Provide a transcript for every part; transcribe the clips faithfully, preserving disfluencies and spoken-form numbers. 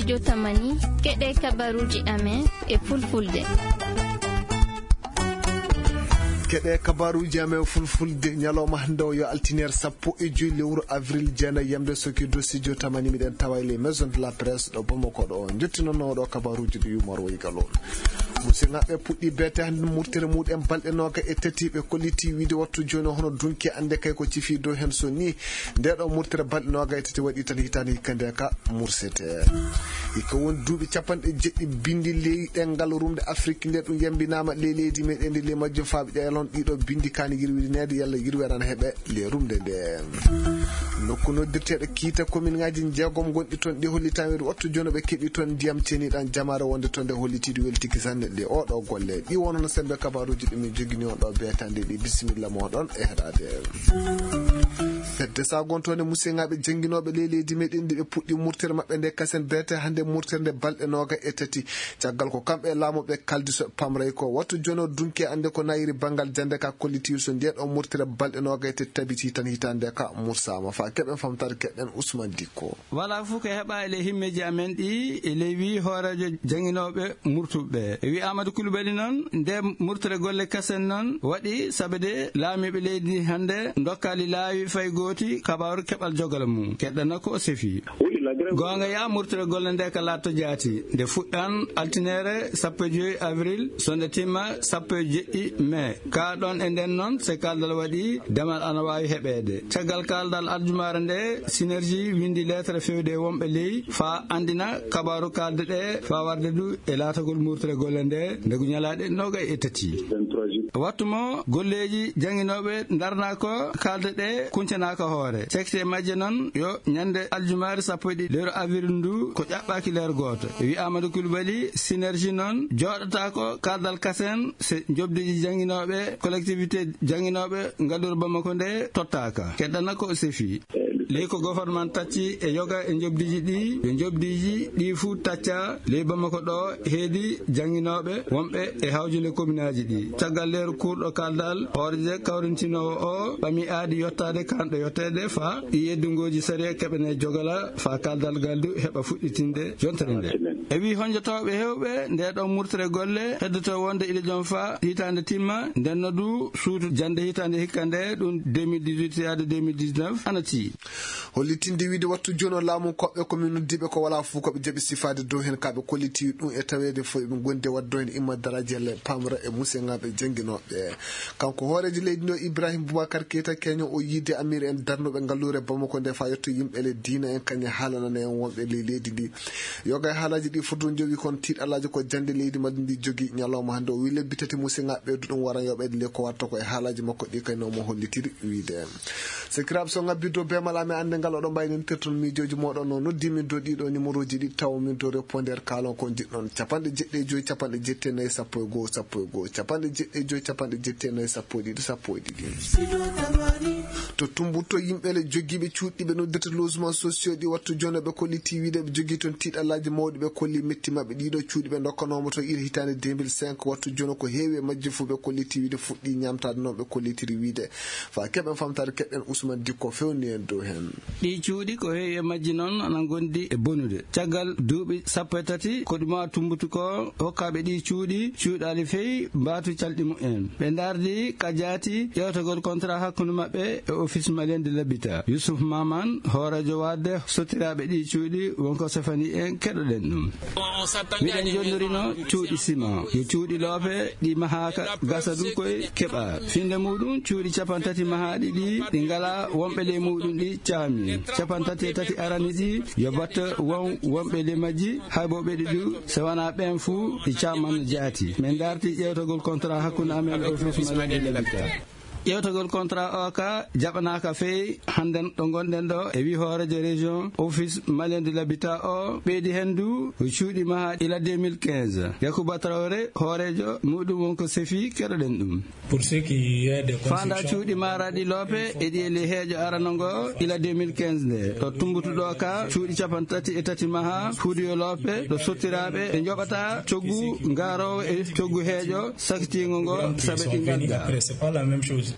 Jotamani, keɗee kabaruuji amen e fulfulde. Keɗee kabaruuji amen fulfulde, ñalawma hannde o yo altineer sappo e joy lewru avril jeenay yamde soki dossier Jotamani, miɗen tawa e les maisons de la presse ɗo Bamako ɗo. Njottinono ɗo kabaruuji ɗi Umar Woygal on. Musidɓe puɗɗi beete hannde murtere muɗen balɗe nooga e tati, ɓe kolliti wiide wattu jooni hono dunki annde kay ko cifi dow heen so ni. Nde ɗo murtere balɗe nooga e tati waɗi tan hitaande hikka nde ka mursete. Hikka won duuɓi capanɗe jeɗɗi bindi ley ɗemngal rumde Afrik nde ɗum yambinaama ley leydi meɗen ndi ley majjum faaɓe ƴeelon ɗiɗo bindi kaani yirwineede yalla yirwere ana heɓe ley rumde nde. Nokku noddirteeɗo Kiita, kominŋaaji jeegom ngonɗi toon, ɗi hollitaama wiide wattu jooni ɓe keɓi toon ndiyam ceeniiɗam jamaare wonde toon nde hollitiiɗo weltiki sanne ɗe oɗo golle. Ɗi wonono sembe kabaruuji ɗi min jogini on ɗo beetande ɗi. Bisimilla mooɗon e heɗaade. Fedde sagontoonde musidɓe jannginooɓe ley leydi meɗen ndi ɓe puɗɗi murtere maɓɓe nde kasen beete hannde murtere nde balɗe nooga e tati. Caggal ko kamɓe e laamu ɓe kaldi so ɓe pamray ko. Wattu jono dunke annde ko nayiri banngal jannde ka kollitiiɗo so ndee ɗoo murtere balɗe nooga e tati tabiti tan hitaande ka mursaama. Faa keɓen famtaade keɗen Usman Dikko. Walaa fuu ko heɓaa e ley himmeeji amen ɗii, e ley wii hooreejo jannginooɓe murtuɓe ɓee. E wii Aamadu Kulubali noon, nde murtere golle kasen noon waɗi, sabe de laamiiɓe leydi ndii hannde ndokkaali laawi fay gooti kabaaru keɓal jogala mum. Keɗɗana ko o sefii. Goonga yaa, murtere golle nde ka laatto jaati. Nde fuɗɗan altineere sappo e joy avril, so nde timma sappo e jeɗɗi mee. Kaa ɗoon e ndeen noon, so kaldal waɗii, demal ana waawi heɓeede. Caggal kaldal aljumaare nde, Synergie winndi leetere fewde e wonɓe ley, faa anndina kabaaru kalde ɗe, faa warde du e laatagol murtere golle nde, nde ko ñalaaɗe noogay e tati. Wattu mo golleeji jannginooɓe ndarnaa ko kalde ɗe kuncanaaka hoore. Cekte majje noon yo ñande aljumaare sappo e ɗiɗi lewru avril ndu ko ƴaɓɓaaki leer gooto. E wii Amadou Coulibaly, Synergie noon jooɗataa ko kaldal kasen se njoɓdiiji jannginooɓe, collectivité jannginooɓe ngaluure Bamako nde tottaaka. Keɗɗana ko o sefii. Ley ko gofornman tacci e yoga e njoɓdiiji ɗii, yo njoɓdiiji ɗii fuu taccaa ley Bamako ɗoo heedi jannginooɓe wonɓe e hawjule kominaaji ɗii. Caggal leeru kuurɗo kaldal, hooreejo kawrintinoowo oo ɓami aadi yottaade kaanɗo yotteede faa ɗii yeddungooji sariya keɓanee jogala faa kaldal ngal du heɓa fuɗɗitinde yontere ndee. E wii honjotooɓe heewɓe ndee ɗoo murtere golle heddotoo wonde ila jom faa hitaande timma, ndenno du suudu jannde hitaande hikka ndee, ɗum deux mille dix-huit yaade deux mille dix-neuf ana tiiɗi. Hollitinde wiide wattu jooni o laamu koɓɓe ko min noddiiɓe ko walaa fof ko ɓe jaɓi sifaade dow heen ka ɓe kolliti ɗum e taweede fof eɓe ngondi e waɗde dow heen imma daraaji yalla e pamra e musenŋaaɓe jannginooɓe. Kanko hooreejo leydi ndi o Ibrahim Boubacar Keita Keño o yiide amiir en darnuɓe ngalluure Bamako nde faa yetto yimɓe le diina en kañe haalanana en wonɓe ley leydi ndi. Yoga e haalaaji ɗi foto jowi kon tiiɗalaaji ko jannde leydi majji ndi jogi ñalawma hannde o wi lebbi tati musenŋaaɓe ɓeydu ɗum wara yoɓeede le ko watta ko e haalaaji makko ɗi kay no mo hollitiri wiide. Sakiraaɓe, so ŋabbidde bee malaaɓe annde ngal, oɗon mbaawni noddirde miijooji mooɗon. No noddi min dow ɗiɗo nimorooji ɗi taw min dow répondeur kaalon ko njiɗɗon. Capanɗe jeɗɗi e joy, capanɗe jeɗɗi e nayi, sappo e goo, sappo e goo, capanɗe jeɗɗi e joy, capanɗe jeɗɗi e nayi, sappo e ɗiɗi, sappo e ɗiɗi. To Tumbutu yimɓe le jogiiɓe cuuɗi ɓe noddirta logement sociaux ɗi wattu jooni ɓe kolliti wiide ɓe jogii toon tiiɗalaaji mawɗi ɓe kolli metti maɓɓe ɗiɗo cuuɗi ɓe ndokkanooma to ila hitaande deux mille cinq wattu jooni ko heewi e majji fof ɓe kolliti wiide fuɗɗi ñaamtaade noon ɓe kollitiri wiide. Faa keɓen famtaade keɗɗen Usman Dikko fewni en dow heen. Ɗii cuuɗi ko heewi e majji noon ana ngondi e bonude. Caggal duuɓi sappo e tati ko ɗuma tumbutu ko hokkaaɓe ɗii cuuɗi cuuɗaali fey mbaatu calɗi mumen. Ɓe ndaardi ka jaati ƴeewtagol contrat hakkunde maɓɓe e Office Malien de l'Habitat. Youssouf Maman, hooreejo waadde sottiraaɓe ɗii cuuɗi wonko sefani en keɗoɗen ɗum. Miɗen jonnirino cuuɗi siman. Yo cuuɗi loope ɗi mahaaka gasa ɗum koye keɓa. Finnde muɗum cuuɗi capantati mahaaɗi ɗi, ɗi ngalaa wonɓe ley muɗum ɗi caami. Capantati e tati arani ɗi, yo batta won wonɓe ley majji, hay bo ɓeɗi ɗu, so wanaa ɓeen fuu ɗi caaman jaati. Min ndaarti ƴeewtagol contrat hakkunde amen e Office Malien de l'Habitat. Ƴeewtagol contrat o ka jaɓanaaka fey hannden ɗo ngonɗen ɗo e wii hooreejo région Office Malien de l'Habitat o ɓeydi heen du cuuɗi mahaa ila deux mille quinze. Yakuba Traoré, hooreejo muɗum wonko sefi keɗoɗen ɗum. Faanda cuuɗi maaraaɗi loope e ɗi e ley heeƴo arano ngo ila deux mille quinze nde. Ɗo tumbutuɗo ka cuuɗi capantati e tati mahaa huudiyo loope ɗo sottiraaɓe ɓe njoɓata coggu ngaaroowo e coggu heeƴo sakitiingo ngo sabe ɗi ngadda.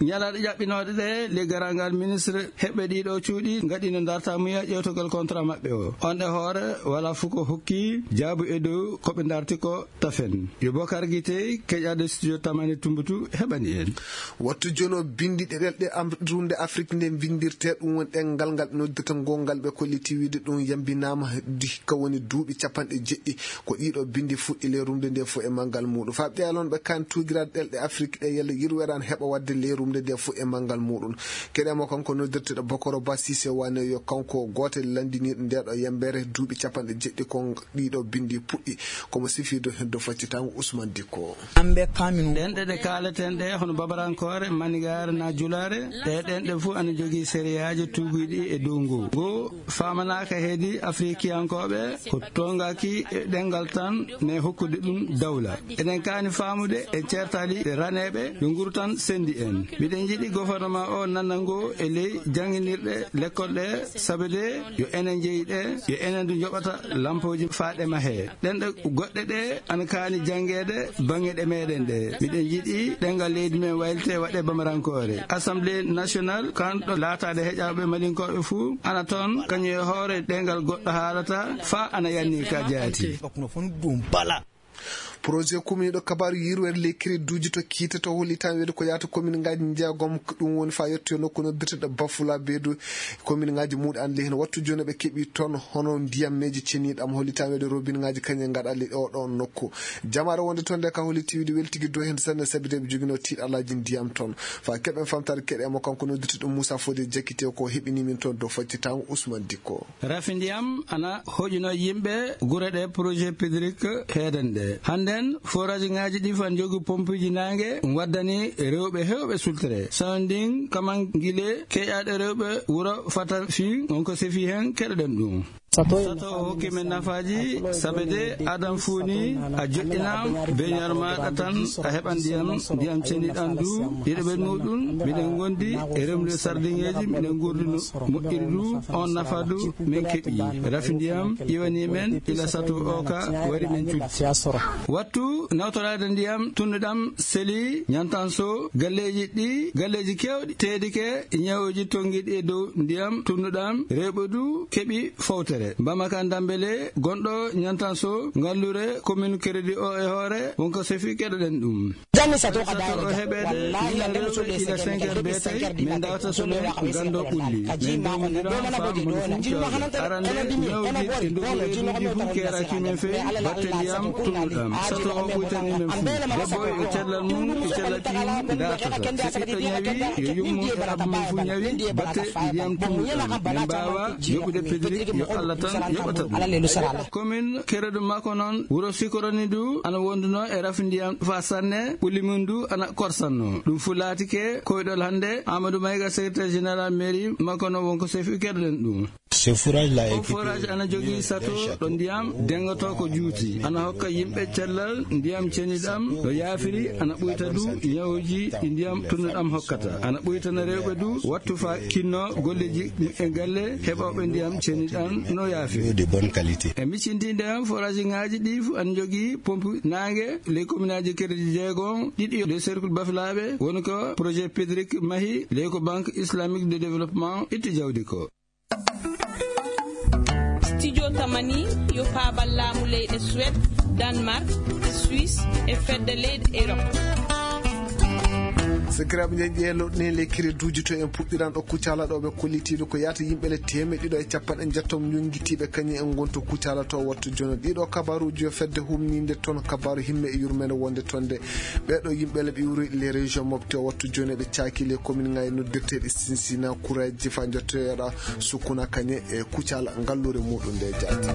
Ñalaaɗe ƴaɓɓinooɗe ɗee, le garangal ministre heɓɓe ɗiiɗo cuuɗi ngaɗino ndartaamuya ƴeewtogol kontra maɓɓe o. On e hoore, walaa fuu ko hokki jaabu e dow ko ɓe ndarti ko tafen. Yo Bokar Gitey, keƴaaɗo studio Tamani Tumbutu, heɓani en. Wattu jono binndi ɗe ɗelɗe am-, rumde Afrik nde mbinndirtee, ɗum woni ɗemngal ngal ɓe noddirta ngoongal ɓe kolliti wiide ɗum yambinaama di ka woni duuɓi capanɗe jeɗɗi. Ko ɗiiɗo binndi fuɗɗi le rumde nde fof e manngal muuɗum. Faa ɓe alon ɓe kan tuugiraade ɗelɗe Afrik ɗe yalla yirwere an heɓa waɗde le rumde nde fof e manngal muuɗum. Keɗe mo kanko noddirteɗo Bokoro Ba Sise wane yo kanko gooto e lanndiniiɗo nde ɗo yambere duuɓi capanɗe jeɗɗi ko ɗiiɗo binndi puɗɗi. Komo sifirde heddo faccitango Usman Dikko. Ɗenɗe ɗe kaaleten ɗe hono babarankoore, manigaare na julaare, ɗe ɗenɗe fof ana jogii seriyaaji tuugiiɗi e dow ngoo. Ngoo faamanaaka heedi Afrikiyankooɓe ko toŋngaki e ɗemngal tan, mais hokkude ɗum dawla. Eɗen kaani faamude en ceertaali raneeɓe yo nguru tan senndi en. Miɗen njiɗi gofornama o nannda ngoo e ley jannginirɗe lekkol ɗe, sabe de yo enen njeyi ɗe, yo enen du njoɓata lampooji faa ɗe mahee. Ɗenɗe goɗɗe ɗe ana kaani janngeede baŋŋe ɗe meɗen ɗe. Miɗen njiɗi ɗemngal leydi men waylitee waɗee bamarankoore. Assemblée nationale kan ɗo laataade heƴaaɓe Malinkooɓe fuu ana toon, kañum e hoore ɗemngal goɗɗo haalata faa ana yanni ka jaati. Projet kumiiɗo kabaaru yirwere ley crédit uji to kiite to hollitan weede ko yaata kominŋaaji njeegom, ɗum woni faa yettoyo nokku noddirteɗo Bafula Beedu. Kominŋaaji muuɗum ana ley heen wattu jooni ɓe keɓi toon hono ndiyammeeji ceniiɗi am hollitan weede robinŋaaji kañe ngaɗa ley oɗo nokku. Jamaare wonde toon nde ka holliti wiide weltigi dow heen sanne sabi de ɓe joginoo tiiɗalaaji ndiyam toon. Faa keɓen famtaade keɗe mo kanko noddirteɗo Muusa Fode Jakite ko heɓini min toon dow faccitango Usman Dikko. Rafi ndiyam ana hoƴunoo yimɓe gure ɗe projet Pedric heedan ɗe. Hannden, forajiŋaaji ɗi fan jogi pompuuji naange waddani rewɓe heewɓe sultere. Sawndin Kamangile, keƴaaɗo rewɓe wuro Fatafi, on ko sefi hen keɗoɗen ɗum. Sato o hokki men nafaaji, sabe de adan fuu ni a joɗɗinaama, beñaar maaɗa tan a heɓan ndiyam, ndiyam ceniɗan du, ɗiɗo ɓen muuɗum, miɗen ngondi e remrude sardiŋeeji, miɗen ngurdi no moƴƴiri du, on nafa du, min keɓi. Rafi ndiyam iwani men, ila sato o ka wari men cuɗi. Wattu nawtoraade ndiyam tunnuɗam seli, ñantanso, galleeji ɗi, galleeji keewɗi, teedike, ñawooji tonngiiɗi e dow ndiyam tunnuɗam, rewɓe du keɓi fowtere. Bamaka Dambele, gonɗo ñantanso, ngallure, commune Crédit o e hoore, wonko sefi keɗoɗen ɗum. Janni sato ka daayira o heɓeede, ila rewɓe ila cinq heures beetay, min ndawta so min nganndo ɓulli. Min ndawmondiran faa mon fuu cooda. Arande, ñawdi e ndugu reeduuji fuu keeraaki men fewi, batte ndiyam tunnuɗam. Sato o ɓuytani men fuu. Debbo e cellal mum, e cellal ɓiyum ndartata. Si ɓiɗɗo ñawi, yo yummu e abba mum fuu ñawi, batte ndiyam tunnuɗam. Min mbaawa yoɓude Pedric, yo Alla tan yoɓata ɗum. Commune Keredu makko noon, wuro Sikoroni du, ana wondunoo e rafi ndiyam faa sanne, ɓulli mum du ana korsannoo. Ɗum fuu laatike koyɗol hannde, Amadou Maïga, secrétaire général mairie makko noon, wonko sefi keɗoɗen ɗum. Ce forage là, o forage ana jogii sato ɗo ndiyam dengotoo ko juuti, ana hokka yimɓe cellal ndiyam ceniɗam no yaafiri, ana ɓuyta du ñawuuji ɗi ndiyam tunnuɗam hokkata, ana ɓuytana rewɓe du wattu faa kinnoo golleeji e galle heɓooɓe ndiyam ceniɗam no yaafiri. De bonne qualité. E miccindiinde am, forajiŋaaji ɗi fu ana njogii pompe naange ley kominaaji Kereji jeegom, ɗiɗi ley cercle Bafilaaɓe, woni ko projet Pedric mahi ley ko Banque Islamique de Développement itti jawdi ko. Studio Tamani yo paabal laamu leyɗe Suwed, Danmark, e Suisse, e fedde leyɗe Erop. Sakiraaɓe, njeeƴe loɗɗe ley kereduuji to en puɗɗiran ɗo Kucala ɗo ɓe kollitiiɗo ko yaata yimɓe le teemeɗɗe ɗiɗo e capanɗe njettoo ñonngitiiɓe kañum en ngon to Kucala to wattu jono. Ɗiɗo kabaaruuji yo fedde humniinde toon kabaaru himme e yurmeende wonde toon de. Ɓeeɗo yimɓe le ɓe iwri les régions mofte o wattu jooni ɓe caaki les commune ŋaaji noddirteeɗi Sinsina, Kuraaji, faa njottoyoɗa Sukkuna kañe e Kucala ngalluure muuɗum nde jaati.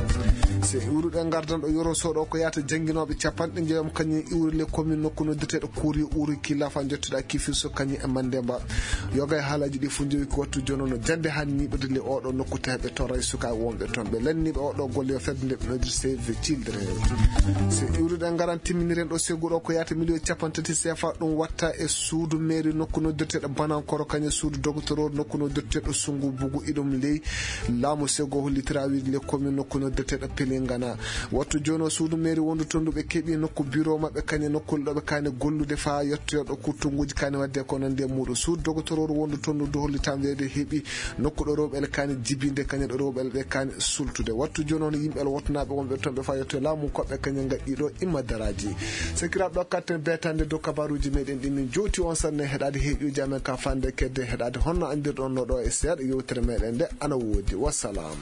So iwruɗen ngardan ɗo Yoro Soɗo ko yaata jannginooɓe capanɗe njeegom kañum iwri les commune nokku noddirteeɗo Kuri Uri Killa faa njottoɗa Kifiso kañum e Mandemba. Yoga e haalaaji ɗi fof njowi ko wattu jooni no jannde hannde niɓirde le oɗo nokku tawi ɓe torray sukaaɓe wonɓe toon. Ɓe lanniiɓe oɗo golle yo fedde nde ɓe noddi Save the Children. So iwruɗen ngaran timminiren ɗo segu ɗo ko yaata miliyon capanɗe tati C F A ɗum watta e suudu mairie nokku noddirteeɗo Banankoro kañum suudu docteur nokku noddirteeɗo Sungu Bugu iɗum ley laamu segu hollitira wiide le commune nokku noddirteeɗo Pelingana. Wattu jooni o suudu mairie wondu toon ndu ɓe keɓi nokku bureau maɓɓe kañum nokkuule ɗo ɓe kaani gollude faa yettoyo ɗo kurtunguuji Ene waɗde ko nande e muuɗum suudu dogotorooru wondu toon no dow hollitaa weede heɓi nokku ɗo rewɓe ele kaani jibinde kañum ɗo rewɓe ele ɓe kaani sultude wattu jooni on yimɓe ele wottanaaɓe wonɓe toon ɓe fayotto e laamu koɓɓe kañum ngaɗɗi ɗo imma daraaji. Sakiraaɓe ɗo katten beetande dow kabaaruuji meɗen ɗi min jowti on sanne heɗaade heeƴuuji amen ka fande kedde heɗaade honno anndirɗon no ɗo e seeɗa yewtere meɗen nde ana woodi wassalam.